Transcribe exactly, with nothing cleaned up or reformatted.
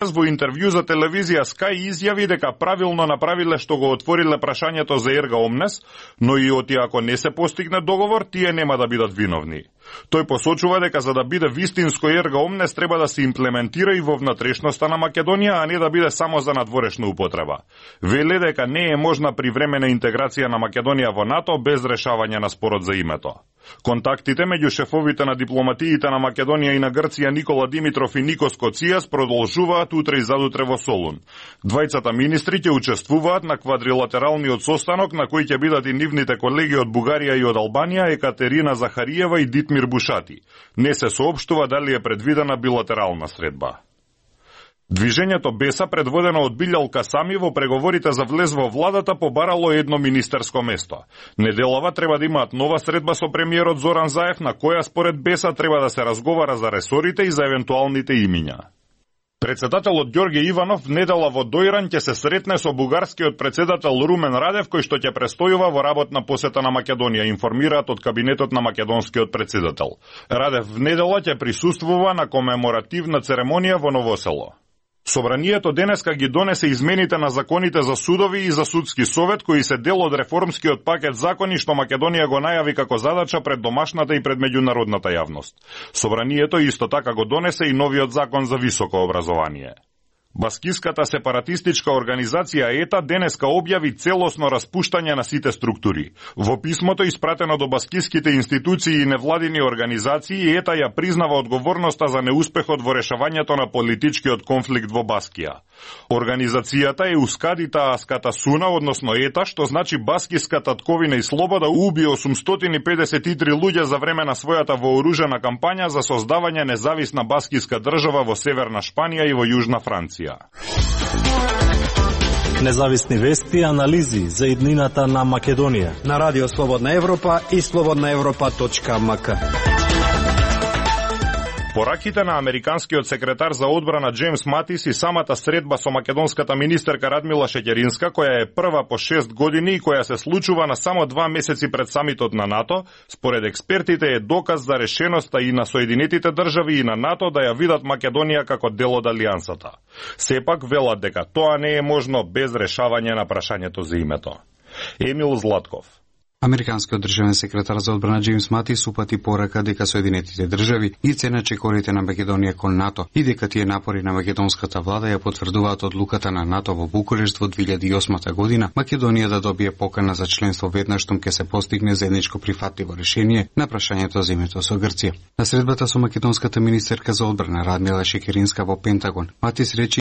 Во интервју за телевизија Sky изјави дека правилно направиле што го отвориле прашањето за Ерга Омнес, но и оти ако не се постигне договор, тие нема да бидат виновни. Тој посочува дека за да биде вистинско Ерга Омнес треба да се имплементира и во внатрешноста на Македонија, а не да биде само за надворешна употреба. Веле дека не е можна привремена интеграција на Македонија во НАТО без решавање на спорот за името. Контактите меѓу шефовите на дипломатиите на Македонија и на Грција Никола Димитров и Никос Коцијас продолжуваат утре и задутре во Солун. Двајцата министри ќе учествуваат на квадрилатералниот состанок на кој ќе бидат и нивните колеги од Бугарија и од Албанија Екатерина Захариева и Дитмир Бушати. Не се соопштува дали е предвидена билатерална средба. Движењето Беса, предводено од Билјал Касами, во преговорите за влез во владата побарало едно министерско место. Неделава треба да имаат нова средба со премиерот Зоран Заев, на која според Беса треба да се разговара за ресорите и за евентуалните имиња. Председателот Ѓорѓе Иванов недела во Дојран ќе се сретне со бугарскиот председател Румен Радев, кој што ќе престојува во работна посета на Македонија, информираат од кабинетот на македонскиот председател. Радев в недела ќе присуствува на комеморативна церемонија во Новосело. Собранието денеска ги донесе измените на законите за судови и за судски совет, кои се дел од реформскиот пакет закони што Македонија го најави како задача пред домашната и пред меѓународната јавност. Собранието исто така го донесе и новиот закон за високо образование. Баскиската сепаратистичка организација ЕТА денеска објави целосно распуштање на сите структури. Во писмото испратено до баскиските институции и невладини организации, ЕТА ја признава одговорноста за неуспехот во решавањето на политичкиот конфликт во Баскија. Организацијата е Ускадита Аската Суна, односно ЕТА, што значи Баскиска татковина и слобода, уби осумстотини педесет и три луѓе за време на својата вооружена кампања за создавање независна баскиска држава во Северна Шпанија и во Јужна Франција. Независни вести и анализи за иднината на Македонија на Радио Слободна Европа и слободна европа точка ем ка. Пораките на американскиот секретар за одбрана Джеймс Матис и самата средба со македонската министерка Радмила Шеќеринска, која е прва по шест години и која се случува на само два месеци пред самитот на НАТО, според експертите е доказ за решеноста и на Соединетите држави и на НАТО да ја видат Македонија како дел од алијансата. Сепак велат дека тоа не е можно без решавање на прашањето за името. Емил Златков. Американскиот државен секретар за одбрана Джеймс Матис упати порака дека Соединетите држави ги ценат чекорите на Македонија кон НАТО и дека тие напори на македонската влада ја потврдуваат одлуката на НАТО во Букурешт во две илјади и осма година Македонија да добие покана за членство веднаш штом ќе се постигне заедничко прифатливо решение на прашањето за името со Грција. На средбата со македонската министерка за одбрана Радмила Шеќеринска во Пентагон, Матис рече